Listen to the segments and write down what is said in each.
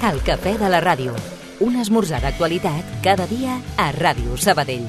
El cafè de la ràdio. Un esmorzar d'actualitat cada dia a Ràdio Sabadell.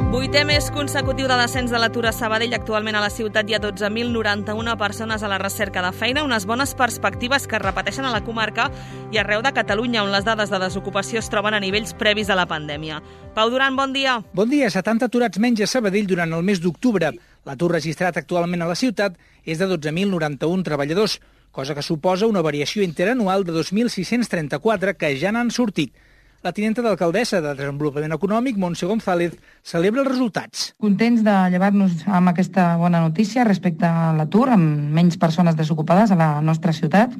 Vuitè mes consecutiu de descens de l'atur a Sabadell. Actualment a la ciutat hi ha 12.091 persones a la recerca de feina, unes bones perspectives que es repeteixen a la comarca i arreu de Catalunya, on les dades de desocupació es troben a nivells previs a la pandèmia. Pau Duran, bon dia. Bon dia. 70 aturats menys a Sabadell durant el mes d'octubre. L'atur registrat actualment a la ciutat és de 12.091 treballadors, cosa que suposa una variació interanual de 2.634 que ja n'han sortit. La tinenta d'alcaldessa de Desenvolupament Econòmic, Montse González, celebra els resultats. Contents de llevar-nos amb aquesta bona notícia respecte a l'atur, amb menys persones desocupades a la nostra ciutat,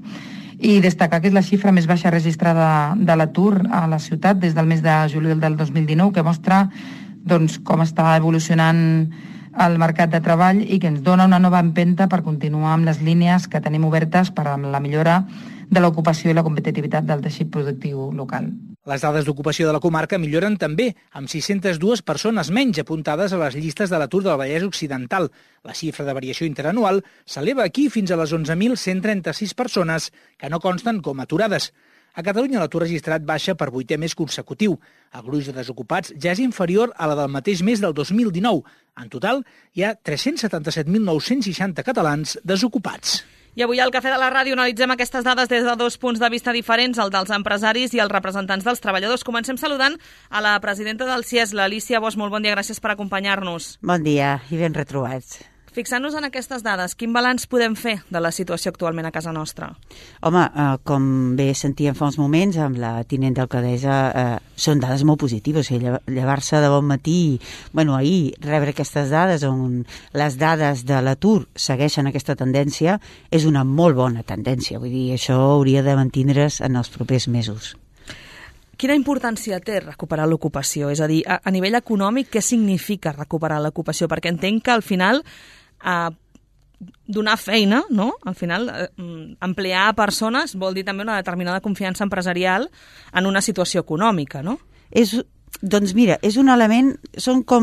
i destacar que és la xifra més baixa registrada de l'atur a la ciutat des del mes de juliol del 2019, que mostra com està evolucionant el mercat de treball i que ens dona una nova empenta per continuar amb les línies que tenim obertes per a la millora de l'ocupació i la competitivitat del teixit productiu local. Les dades d'ocupació de la comarca milloren també, amb 602 persones menys apuntades a les llistes de l'atur del Vallès Occidental. La xifra de variació interanual s'eleva aquí fins a les 11.136 persones que no consten com aturades. A Catalunya l'atur registrat baixa per 8è mes consecutiu. El gruix de desocupats ja és inferior a la del mateix mes del 2019. En total, hi ha 377.960 catalans desocupats. I avui al Cafè de la Ràdio analitzem aquestes dades des de dos punts de vista diferents, el dels empresaris i els representants dels treballadors. Comencem saludant a la presidenta del CIES, l'Alícia Bosch. Molt bon dia, gràcies per acompanyar-nos. Bon dia i ben retrobats. Fixant-nos en aquestes dades, quin balanç podem fer de la situació actualment a casa nostra? Home, com bé sentíem fa uns moments amb la tinent d'alcaldessa, són dades molt positives. Llevar-se de bon matí, ahir, rebre aquestes dades on les dades de l'atur segueixen aquesta tendència, és una molt bona tendència. Vull dir, això hauria de mantindre's en els propers mesos. Quina importància té recuperar l'ocupació? És a dir, a nivell econòmic, què significa recuperar l'ocupació? Perquè entenc que al final donar feina, no? Al final, emplear persones vol dir també una determinada confiança empresarial en una situació econòmica, no? Doncs mira, és un element, són com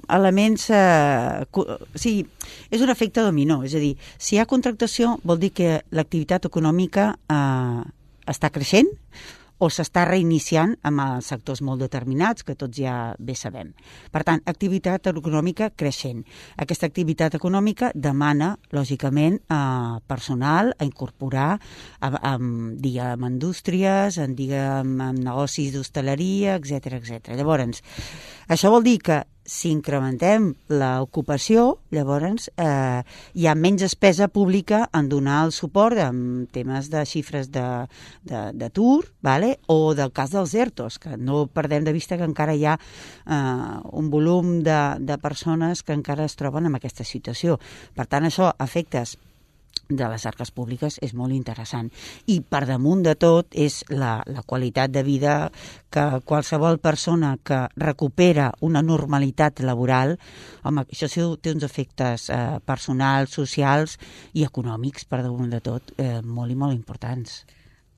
elements, és un efecte dominó, és a dir, si hi ha contractació vol dir que l'activitat econòmica està creixent, o s'està reiniciant amb sectors molt determinats, que tots ja bé sabem. Per tant, activitat econòmica creixent. Aquesta activitat econòmica demana, lògicament, personal a incorporar, diguem, indústries, diguem, negocis d'hostaleria, etc. Llavors, això vol dir que si incrementem l'ocupació, llavors hi ha menys despesa pública en donar el suport en temes de xifres d'atur, o del cas dels ERTOs, que no perdem de vista que encara hi ha un volum de persones que encara es troben en aquesta situació. Per tant, això, efectes de les arques públiques, és molt interessant. I per damunt de tot és la qualitat de vida que qualsevol persona que recupera una normalitat laboral, home, això té uns efectes personals, socials i econòmics, per damunt de tot, molt i molt importants.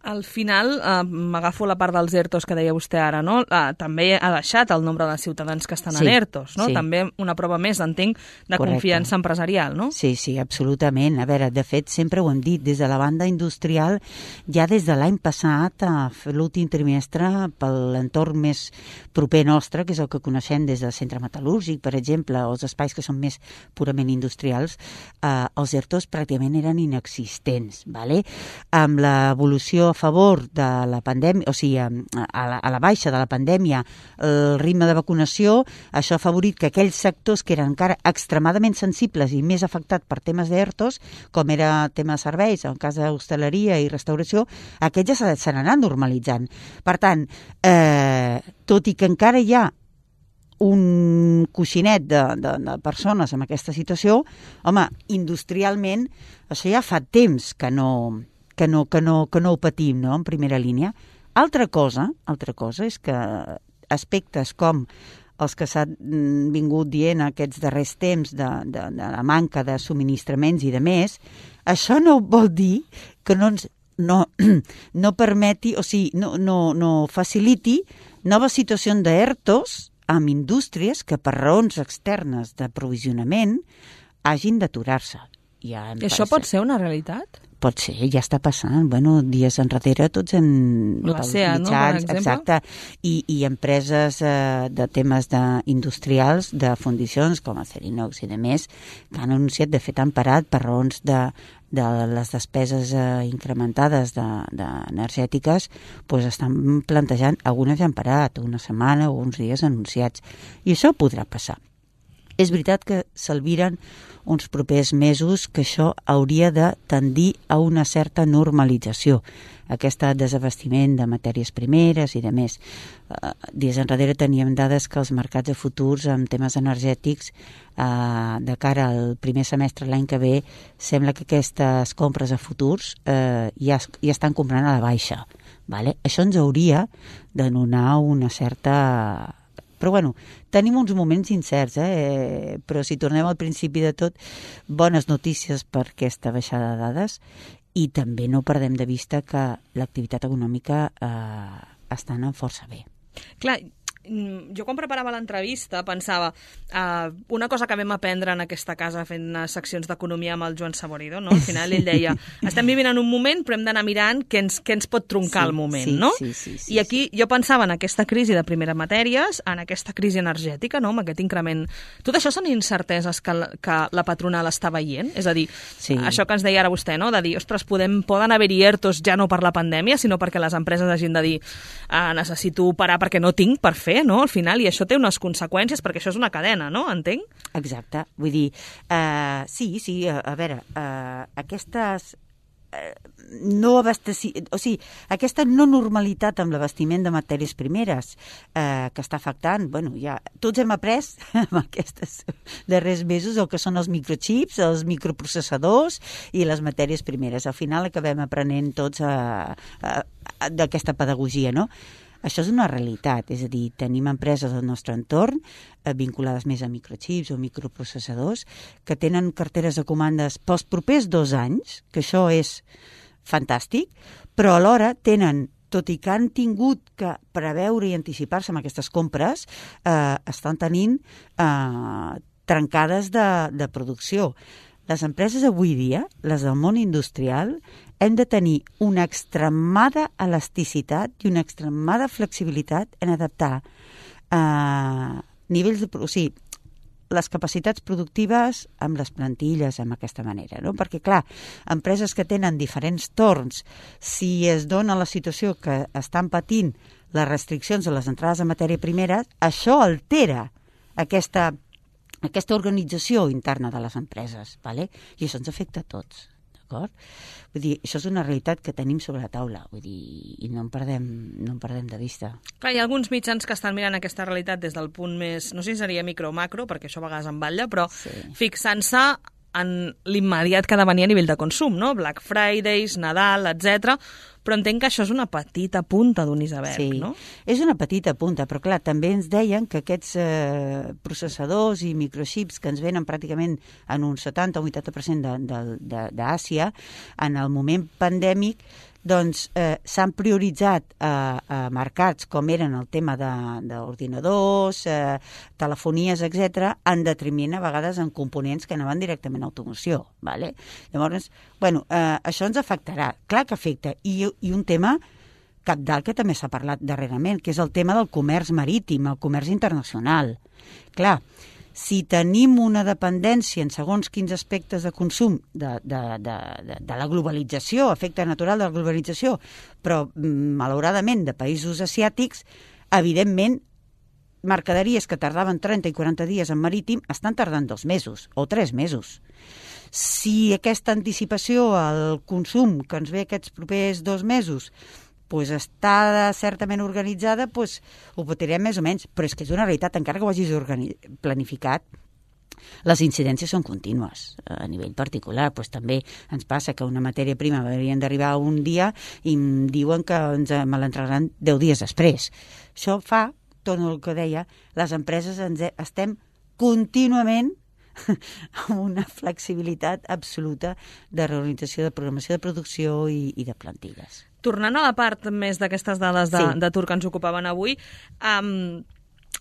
Al final, m'agafo la part dels ERTOs que deia vostè ara, no? També ha baixat el nombre de ciutadans que estan en ERTOs, no? Sí. També una prova més, entenc, de confiança empresarial, no? Sí, absolutament. A veure, de fet, sempre ho hem dit, des de la banda industrial, ja des de l'any passat, l'últim trimestre, per l'entorn més proper nostre, que és el que coneixem des del centre metal·lúrgic, per exemple, els espais que són més purament industrials, els ERTOs pràcticament eren inexistents, ¿vale? Amb l'evolució a favor de la pandèmia, o sigui, a la baixa de la pandèmia, el ritme de vacunació, això ha afavorit que aquells sectors que eren encara extremadament sensibles i més afectats per temes d'ERTOs, com era tema de serveis, en el cas d'hostaleria i restauració, aquests ja se n'han normalitzant. Per tant, tot i que encara hi ha un coixinet de persones en aquesta situació, home, industrialment, això ja fa temps que no ho patim, no?, en primera línia. Altra cosa és que aspectes com els que s'han vingut dient aquests darrers temps de la manca de subministraments i de més, això no vol dir que no ens no permeti, o sigui, no faciliti noves situacions d'ERTOs amb indústries que per raons externes d'aprovisionament hagin d'aturar-se. Això pot ser una realitat? Pot ser, ja està passant. Bueno, dies enrere tots hem... La SEA, no?, per exemple. Exacte. I empreses de temes industrials, de fundicions, com Acerinox i demés, que han anunciat, de fet, han parat per raons de les despeses incrementades energètiques, doncs estan plantejant, algunes ja han parat, una setmana o uns dies anunciats. I això podrà passar. És veritat que s'albiren uns propers mesos que això hauria de tendir a una certa normalització, aquest desabastiment de matèries primeres i de més. Dies enrere teníem dades que els mercats de futurs en temes energètics de cara al primer semestre l'any que ve sembla que aquestes compres a futurs ja estan comprant a la baixa. Vale? Això ens hauria de donar una certa... Però bueno, tenim uns moments incerts, però si tornem al principi de tot, bones notícies per aquesta baixada de dades i també no perdem de vista que l'activitat econòmica està anant força bé. Clar, jo quan preparava l'entrevista pensava una cosa que vam aprendre en aquesta casa fent seccions d'economia amb el Joan Saborido, no? Al final ell deia, estem vivint en un moment però hem d'anar mirant què ens pot troncar el moment, no? Sí, I aquí jo pensava en aquesta crisi de primeres matèries, en aquesta crisi energètica, no?, amb aquest increment. Tot això són incerteses que la patronal està veient? És a dir, això que ens deia ara vostè, no?, de dir, ostres, poden haver-hi ERTOs ja no per la pandèmia, sinó perquè les empreses hagin de dir necessito parar perquè no tinc per fer, no?, al final, i això té unes conseqüències, perquè això és una cadena, no?, entenc? Exacte, vull dir, sí, a veure, aquestes aquesta no normalitat amb l'abastiment de matèries primeres que està afectant, bueno, ja tots hem après en aquests darrers mesos el que són els microchips, els microprocessadors i les matèries primeres. Al final acabem aprenent tots d'aquesta pedagogia, no? Això és una realitat, és a dir, tenim empreses del nostre entorn vinculades més a microchips o microprocessadors que tenen carteres de comandes pels propers 2 anys, que això és fantàstic, però alhora tenen, tot i que han tingut que preveure i anticipar-se amb aquestes compres, estan tenint trencades de producció. Les empreses avui dia, les del món industrial, hem de tenir una extremada elasticitat i una extremada flexibilitat en adaptar nivells les capacitats productives amb les plantilles, amb aquesta manera, no? Perquè, clar, empreses que tenen diferents torns, si es dona la situació que estan patint les restriccions a les entrades de matèria primera, això altera aquesta organització interna de les empreses, ¿vale? I això ens afecta a tots, d'acord? Vull dir, això és una realitat que tenim sobre la taula, vull dir, i no en perdem de vista. Clar, hi ha alguns mitjans que estan mirant aquesta realitat des del punt més, no sé si seria micro o macro, perquè això a vegades en batlla, però fixant-se en l'immediat que ha de venir a nivell de consum, no? Black Fridays, Nadal, etc. Però entenc que això és una petita punta d'un iceberg, no? És una petita punta, però clar, també ens deien que aquests processadors i microchips que ens venen pràcticament en un 70 o 80% d'Àsia, en el moment pandèmic, doncs s'han prioritzat mercats com eren el tema d'ordinadors, telefonies, etc., en detriment a vegades en components que anaven directament a automoció. ¿Vale? Llavors, bueno, això ens afectarà. Clar que afecta. I un tema cabdal que també s'ha parlat darrerament, que és el tema del comerç marítim, el comerç internacional. Clar, si tenim una dependència en segons quins aspectes de consum de la globalització, efecte natural de la globalització, però malauradament de països asiàtics, evidentment mercaderies que tardaven 30 i 40 dies en marítim estan tardant 2 mesos o 3 mesos. Si aquesta anticipació al consum que ens ve aquests propers 2 mesos està certament organitzada, ho patirem més o menys, però és que és una realitat, encara que ho hagis planificat, les incidències són contínues a nivell particular. També ens passa que una matèria prima haurien d'arribar un dia i em diuen que me l'entregaran 10 dies després. Això fa, torno al que deia, les empreses estem contínuament amb una flexibilitat absoluta de reorganització, de programació de producció i de plantilles. Tornant a la part més d'aquestes dades d'atur que ens ocupaven avui,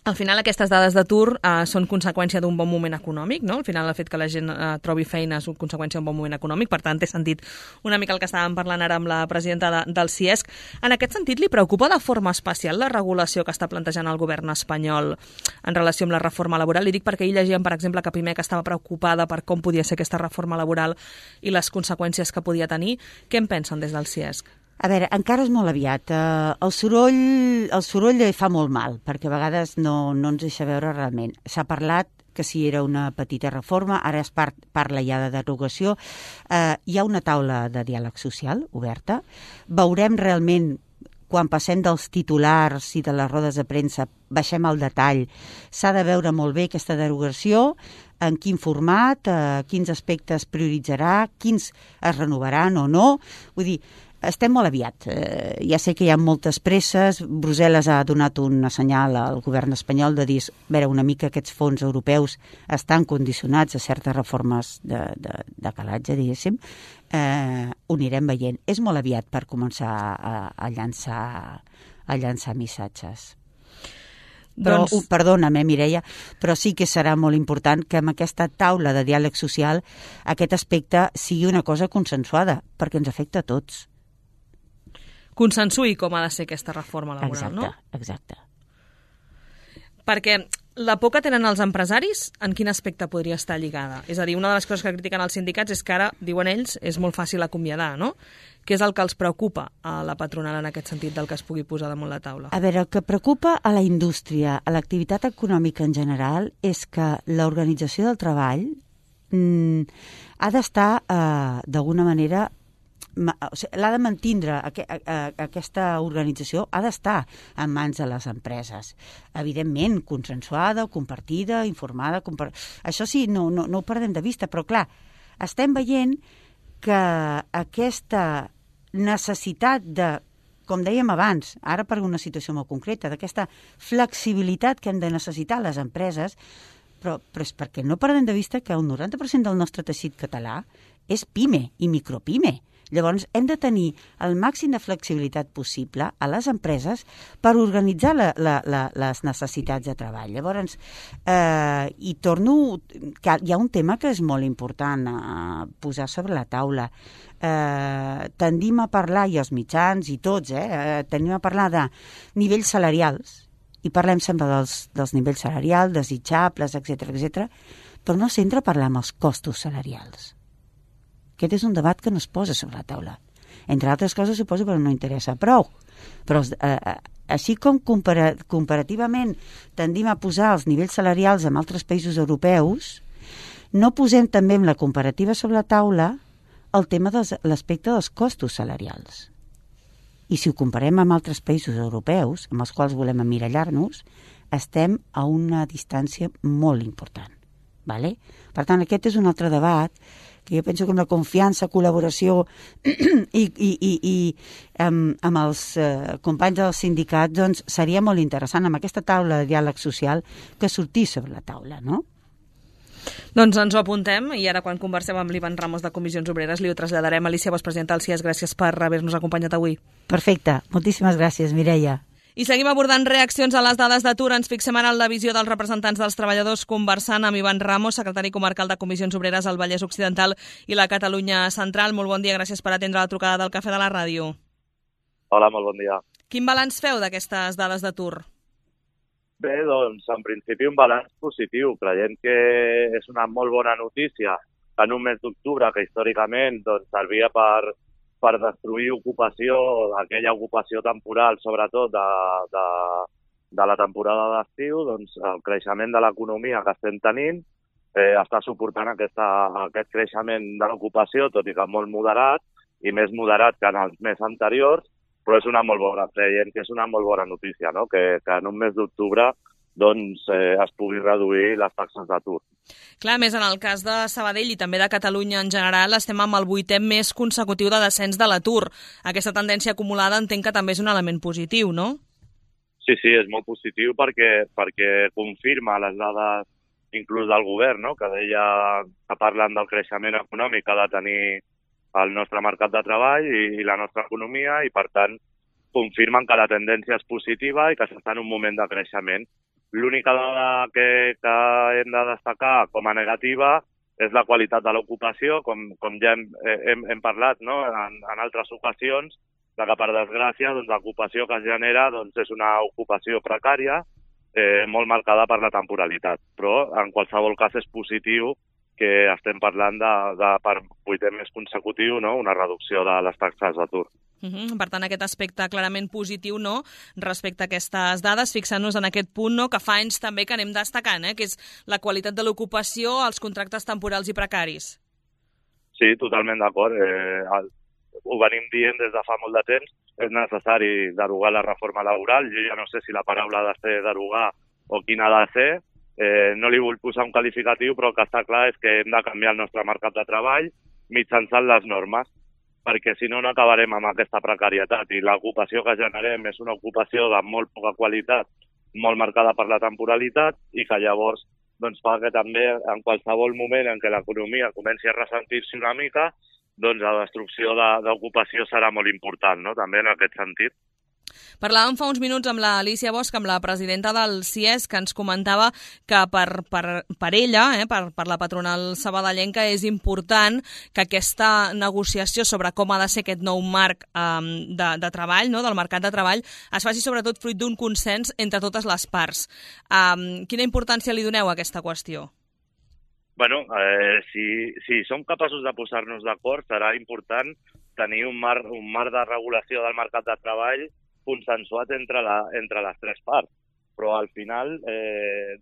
al final aquestes dades d'atur són conseqüència d'un bon moment econòmic, no? Al final el fet que la gent trobi feina és conseqüència d'un bon moment econòmic, per tant té sentit una mica el que estàvem parlant ara amb la presidenta del CIESC. En aquest sentit, li preocupa de forma especial la regulació que està plantejant el govern espanyol en relació amb la reforma laboral? Li dic perquè ahir llegíem, per exemple, que Pimec estava preocupada per com podia ser aquesta reforma laboral i les conseqüències que podia tenir. Què en pensen des del CIESC? A veure, encara és molt aviat. El soroll fa molt mal, perquè a vegades no ens deixa veure realment. S'ha parlat que si era una petita reforma, ara es parla ja de derogació. Hi ha una taula de diàleg social oberta. Veurem realment, quan passem dels titulars i de les rodes de premsa, baixem al detall. S'ha de veure molt bé aquesta derogació, en quin format, quins aspectes prioritzarà, quins es renovaran o no. Vull dir, estem molt aviat. Ja sé que hi ha moltes presses. Brussel·les ha donat un senyal al govern espanyol de dir, veure, una mica aquests fons europeus estan condicionats a certes reformes de calatge, diguéssim. Ho anirem veient. És molt aviat per començar a llançar missatges. Però, perdona'm, Mireia, però sí que serà molt important que amb aquesta taula de diàleg social aquest aspecte sigui una cosa consensuada, perquè ens afecta a tots. Consensuï com ha de ser aquesta reforma laboral, no? Exacte. Perquè la por que tenen els empresaris, en quin aspecte podria estar lligada? És a dir, una de les coses que critiquen els sindicats és que ara, diuen ells, és molt fàcil acomiadar, no? Què és el que els preocupa a la patronal en aquest sentit del que es pugui posar damunt la taula? A veure, el que preocupa a la indústria, a l'activitat econòmica en general, és que l'organització del treball ha d'estar, d'alguna manera, l'ha de mantindre, aquesta organització ha d'estar en mans de les empreses. Evidentment, consensuada, compartida, informada. Això sí, no ho perdem de vista, però clar, estem veient que aquesta necessitat de, com dèiem abans, ara per una situació molt concreta, d'aquesta flexibilitat que hem de necessitar les empreses, però és perquè no perdem de vista que el 90% del nostre teixit català és PIME i micropime. Llavors, hem de tenir el màxim de flexibilitat possible a les empreses per organitzar les necessitats de treball. Llavors, hi ha un tema que és molt important posar sobre la taula. Tendim a parlar, i els mitjans i tots, tendim a parlar de nivells salarials, i parlem sempre dels nivells salarials, desitjables, etc, però no s'entra a parlar amb els costos salarials. Aquest és un debat que no es posa sobre la taula. Entre altres coses, suposo, però no interessa prou. Però així com comparativament tendim a posar els nivells salarials en altres països europeus, no posem també en la comparativa sobre la taula el tema de l'aspecte dels costos salarials. I si ho comparem amb altres països europeus, amb els quals volem emmirallar-nos, estem a una distància molt important. Vale? Per tant, aquest és un altre debat que jo penso que amb la confiança, col·laboració i amb els companys dels sindicats, doncs seria molt interessant amb aquesta taula de diàleg social que sortís sobre la taula, no? Doncs ens ho apuntem i ara quan conversem amb l'Ivan Ramos de Comissions Obreres li ho traslladarem. Alicia, vicepresidenta del CIESC, gràcies per haver-nos acompanyat avui. Perfecte, moltíssimes gràcies, Mireia. I seguim abordant reaccions a les dades d'atur. Ens fixem ara en la visió dels representants dels treballadors conversant amb Ivan Ramos, secretari comarcal de Comissions Obreres al Vallès Occidental i la Catalunya Central. Molt bon dia, gràcies per atendre la trucada del Cafè de la Ràdio. Hola, molt bon dia. Quin balanç feu d'aquestes dades d'atur? Bé, doncs, en principi un balanç positiu. Creiem que és una molt bona notícia que en un mes d'octubre, que històricament doncs, servia per destruir ocupació, aquella ocupació temporal, sobretot de la temporada d'estiu, doncs el creixement de l'economia que estem tenint està suportant aquest creixement de l'ocupació, tot i que molt moderat, i més moderat que en els mesos anteriors, però és una molt bona, creiem que és una molt bona notícia, no? Que en un mes d'octubre doncs, es pugui reduir les taxes d'atur. Clar, més en el cas de Sabadell i també de Catalunya en general, estem amb el 8è mes consecutiu de descens de l'atur. Aquesta tendència acumulada entenc que també és un element positiu, no? Sí, és molt positiu perquè confirma les dades inclús del govern, no? Que deia que parlen del creixement econòmic que ha de tenir el nostre mercat de treball i la nostra economia i, per tant, confirmen que la tendència és positiva i que s'està en un moment de creixement. L'única dada que hem de destacar com a negativa és la qualitat de l'ocupació, com ja hem parlat, no? En altres ocasions, que per desgràcia l'ocupació que es genera és una ocupació precària, molt marcada per la temporalitat. Però en qualsevol cas és positiu que estem parlant per 8è mes consecutiu, no? Una reducció de les taxes d'atur. Per tant, aquest aspecte clarament positiu, no?, respecte a aquestes dades, fixant-nos en aquest punt, no?, que fa anys també que anem destacant, que és la qualitat de l'ocupació, els contractes temporals i precaris. Sí, totalment d'acord. Ho venim dient des de fa molt de temps. És necessari derogar la reforma laboral. Jo ja no sé si la paraula ha de ser derogar o quina ha de ser. No li vull posar un qualificatiu, però el que està clar és que hem de canviar el nostre mercat de treball mitjançant les normes, perquè si no, no acabarem amb aquesta precarietat. I l'ocupació que generem és una ocupació de molt poca qualitat, molt marcada per la temporalitat, i que llavors fa que també en qualsevol moment en què l'economia comenci a ressentir-se una mica, la destrucció d'ocupació serà molt important, no?, també en aquest sentit. Parlàvem fa uns minuts amb l'Alícia Bosch, amb la presidenta del CIES, que ens comentava que per ella, per la patronal sabadellenca, és important que aquesta negociació sobre com ha de ser aquest nou marc de treball, no?, del mercat de treball, es faci sobretot fruit d'un consens entre totes les parts. Quina importància li doneu a aquesta qüestió? Bueno, si som capaços de posar-nos d'acord, serà important tenir un marc de regulació del mercat de treball consensuat entre les tres parts. Però al final,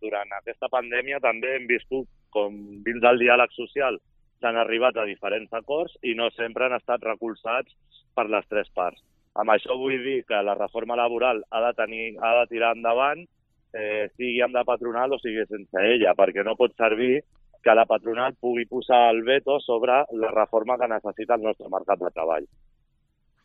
durant aquesta pandèmia també hem viscut com dins del diàleg social s'han arribat a diferents acords i no sempre han estat recolzats per les tres parts. Amb això vull dir que la reforma laboral ha de tirar endavant, sigui amb la patronal o sigui sense ella, perquè no pot servir que la patronal pugui posar el veto sobre la reforma que necessita el nostre mercat de treball.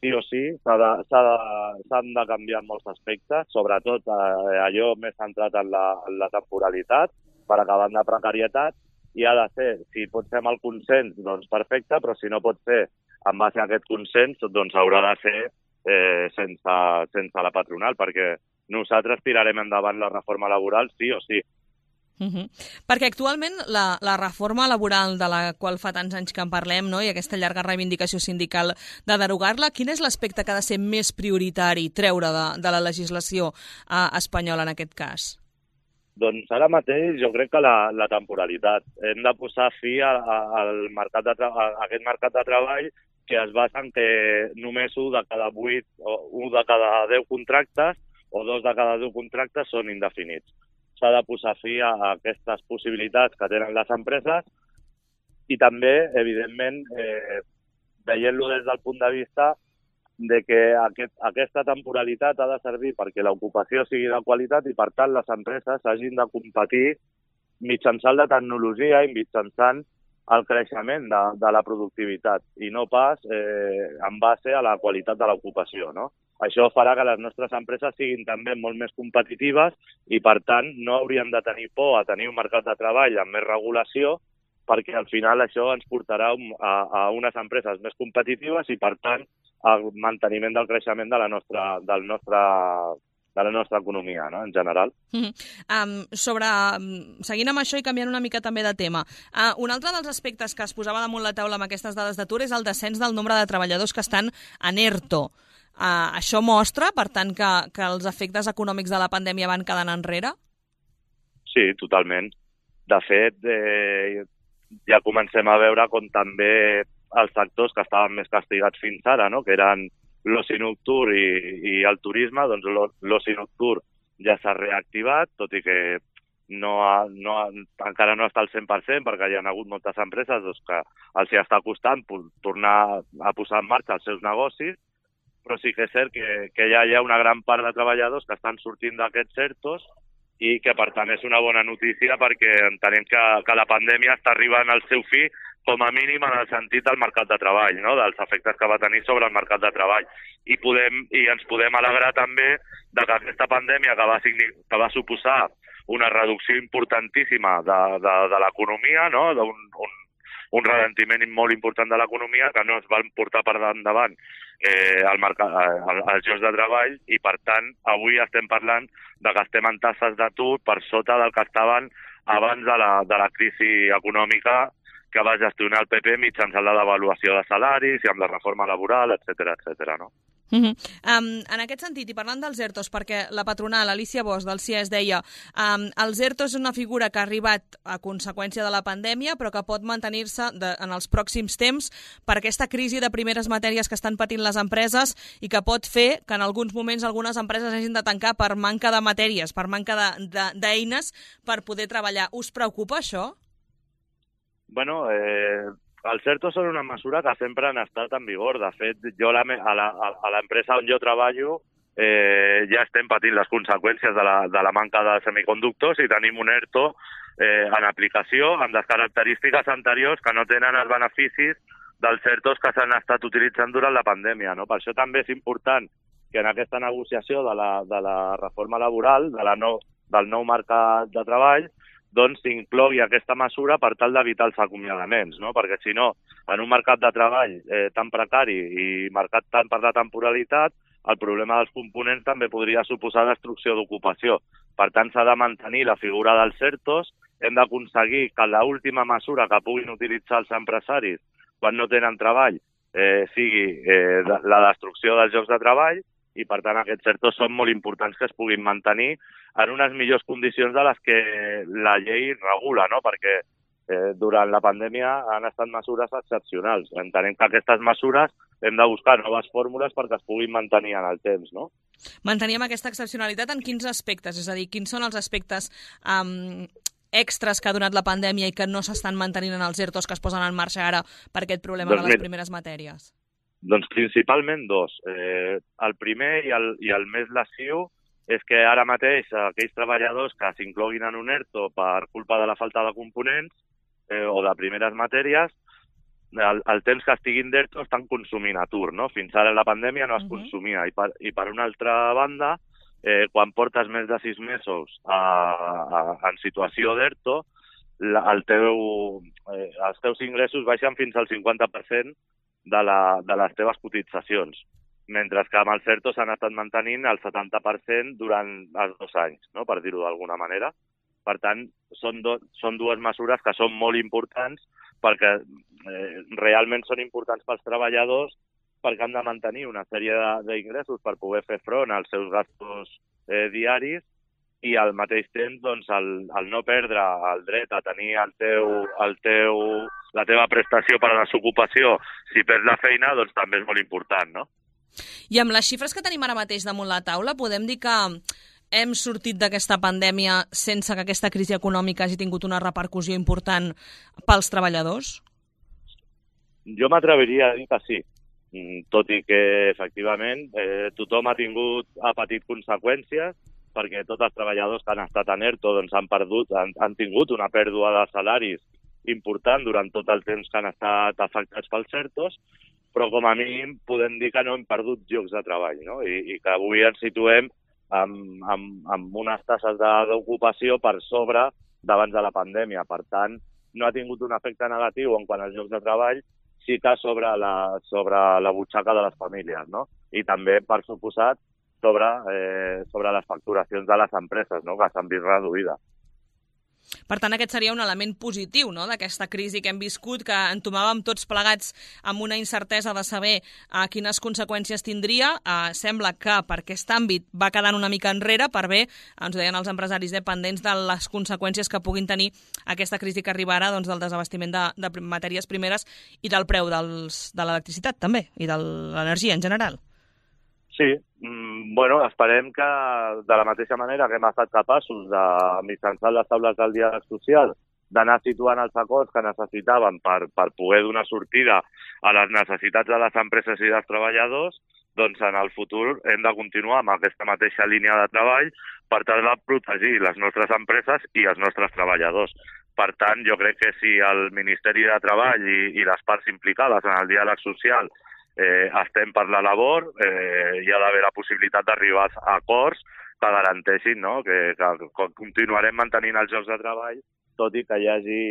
Sí o sí, s'han de canviar molts aspectes, sobretot allò més centrat en la temporalitat, per acabar amb la precarietat, i ha de ser, si pot ser amb el consens, doncs perfecte, però si no pot ser en base a aquest consens, doncs haurà de ser sense la patronal, perquè nosaltres tirarem endavant la reforma laboral sí o sí. Perquè actualment la reforma laboral de la qual fa tants anys que en parlem, no?, i aquesta llarga reivindicació sindical de derogar-la, quin és l'aspecte que ha de ser més prioritari treure de la legislació espanyola en aquest cas? Doncs ara mateix jo crec que la temporalitat. Hem de posar fi a aquest mercat de treball que es basa en que només 1 de cada 8 o 1 de cada 10 contractes o 2 de cada 10 contractes són indefinits. S'ha de posar fi a aquestes possibilitats que tenen les empreses i també, evidentment, veient-lo des del punt de vista de que aquesta temporalitat ha de servir perquè l'ocupació sigui de qualitat i, per tant, les empreses hagin de competir mitjançant la tecnologia i mitjançant el creixement de la productivitat i no pas en base a la qualitat de l'ocupació, no? Això farà que les nostres empreses siguin també molt més competitives i, per tant, no hauríem de tenir por a tenir un mercat de treball amb més regulació, perquè al final això ens portarà a unes empreses més competitives i, per tant, al manteniment del creixement de la nostra economia, no?, en general. Seguint amb això i canviant una mica també de tema, un altre dels aspectes que es posava damunt la taula amb aquestes dades d'atur és el descens del nombre de treballadors que estan en ERTO. Això mostra, per tant, que els efectes econòmics de la pandèmia van quedant enrere? Sí, totalment. De fet, ja comencem a veure com també els sectors que estaven més castigats fins ara, no?, que eren l'oci nocturn i el turisme, doncs l'oci nocturn ja s'ha reactivat, tot i que encara no està al 100%, perquè hi ha hagut moltes empreses que els hi està costant tornar a posar en marxa els seus negocis, però sí que és cert que ja hi ha una gran part de treballadors que estan sortint d'aquests ERTOs i que, per tant, és una bona notícia perquè entenem que la pandèmia està arribant al seu fi, com a mínim en el sentit del mercat de treball, no?, dels efectes que va tenir sobre el mercat de treball. I ens podem alegrar també de que aquesta pandèmia que va suposar una reducció importantíssima de l'economia, no? Un ralentiment molt important de l'economia que no es van portar per endavant els llocs de treball i, per tant, avui estem parlant de que estem en taxes d'atur per sota del que estaven abans de la crisi econòmica que va gestionar el PP mitjançant la devaluació de salaris i amb la reforma laboral, etc., no? En aquest sentit, i parlant dels ERTOs, perquè la patronal, Alicia Bosch, del CIES, deia els ERTOs és una figura que ha arribat a conseqüència de la pandèmia, però que pot mantenir-se en els pròxims temps per aquesta crisi de primeres matèries que estan patint les empreses i que pot fer que en alguns moments algunes empreses hagin de tancar per manca de matèries, per manca d'eines per poder treballar. Us preocupa això? Bueno, els ERTOs són una mesura que sempre han estat en vigor. De fet, jo a l'empresa on jo treballo ja estem patint les conseqüències de la manca de semiconductors i tenim un ERTO en aplicació amb les característiques anteriors que no tenen els beneficis dels ERTOs que s'han estat utilitzant durant la pandèmia, no? Per això també és important que en aquesta negociació de la reforma laboral, del nou mercat de treball, doncs s'inclogui aquesta mesura per tal d'evitar els acomiadaments, no? Perquè si no, en un mercat de treball tan precari i marcat tant per la temporalitat, el problema dels components també podria suposar destrucció d'ocupació. Per tant, s'ha de mantenir la figura dels ERTOs, hem d'aconseguir que l'última mesura que puguin utilitzar els empresaris quan no tenen treball sigui la destrucció dels llocs de treball, i, per tant, aquests ERTOs són molt importants que es puguin mantenir en unes millors condicions de les que la llei regula, no? Perquè durant la pandèmia han estat mesures excepcionals. Entenem que aquestes mesures hem de buscar noves fórmules perquè es puguin mantenir en el temps, no? Manteníem aquesta excepcionalitat en quins aspectes? És a dir, quins són els aspectes extras que ha donat la pandèmia i que no s'estan mantenint en els ERTOs que es posen en marxa ara per aquest problema de les primeres matèries? Doncs principalment dos. El primer i el més lesiu és que ara mateix aquells treballadors que s'incloguin en un ERTO per culpa de la falta de components o de primeres matèries, el temps que estiguin d'ERTO estan consumint atur, no? Fins ara la pandèmia no es consumia. I per una altra banda, quan portes més de 6 mesos en situació d'ERTO, els teus ingressos baixen fins al 50% de les teves cotitzacions, mentre que amb els ERTOs s'han estat mantenint el 70% durant els 2 anys, no? Per dir-ho d'alguna manera. Per tant, són dues mesures que són molt importants perquè realment són importants pels treballadors perquè han de mantenir una sèrie d'ingressos per poder fer front als seus gastos diaris i al mateix temps doncs, el no perdre el dret a tenir la teva prestació per a la desocupació si perds la feina, doncs també és molt important, no? I amb les xifres que tenim ara mateix damunt la taula, podem dir que hem sortit d'aquesta pandèmia sense que aquesta crisi econòmica hagi tingut una repercussió important pels treballadors? Jo m'atreviria a dir que sí, tot i que, efectivament, tothom ha patit conseqüències perquè tots els treballadors que han estat en ERTO doncs, han tingut una pèrdua de salaris important durant tot el temps que han estat afectats pels ERTOs, però com a mínim podem dir que no hem perdut llocs de treball, no? I que avui ens situem amb unes taxes d'ocupació per sobre d'abans de la pandèmia. Per tant, no ha tingut un efecte negatiu en quant als llocs de treball, sí que sobre la butxaca de les famílies, no? I també, per suposat, sobre les facturacions de les empreses, no? Que s'han vist reduïdes. Per tant, aquest seria un element positiu, no?, d'aquesta crisi que hem viscut, que entomàvem tots plegats amb una incertesa de saber quines conseqüències tindria. Sembla que per aquest àmbit va quedant una mica enrere, per bé, ens ho deien els empresaris dependents de les conseqüències que puguin tenir aquesta crisi que arriba ara, doncs, del desabastiment de matèries primeres i del preu de l'electricitat, també, i de l'energia en general. Sí, bueno, esperem que de la mateixa manera que hem estat capaços de, mitjançant les taules del diàleg social, d'anar situant els acords que necessitaven per poder donar sortida a les necessitats de les empreses i dels treballadors, doncs en el futur hem de continuar amb aquesta mateixa línia de treball per tal de protegir les nostres empreses i els nostres treballadors. Per tant, jo crec que si el Ministeri de Treball i les parts implicades en el diàleg social estem per la labor, hi ha d'haver la possibilitat d'arribar a acords garanteixin, no? que continuarem mantenint els llocs de treball, tot i que hi hagi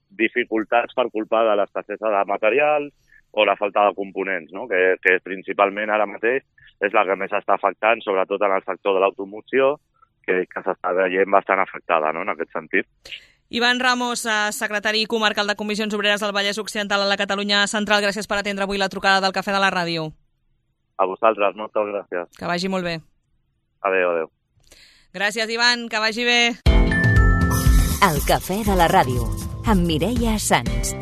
dificultats per culpa de l'escassesa de materials o la falta de components, no? que principalment ara mateix és la que més està afectant, sobretot en el sector de l'automoció, que s'està veient bastant afectada, no? En aquest sentit. Ivan Ramos, secretari comarcal de Comissions Obreres del Vallès Occidental a la Catalunya Central, gràcies per atendre avui la trucada del Cafè de la Ràdio. A vosaltres, moltes gràcies. Que vagi molt bé. Adéu, adéu. Gràcies, Ivan, que vagi bé. El Cafè de la Ràdio, amb Mireia Sans.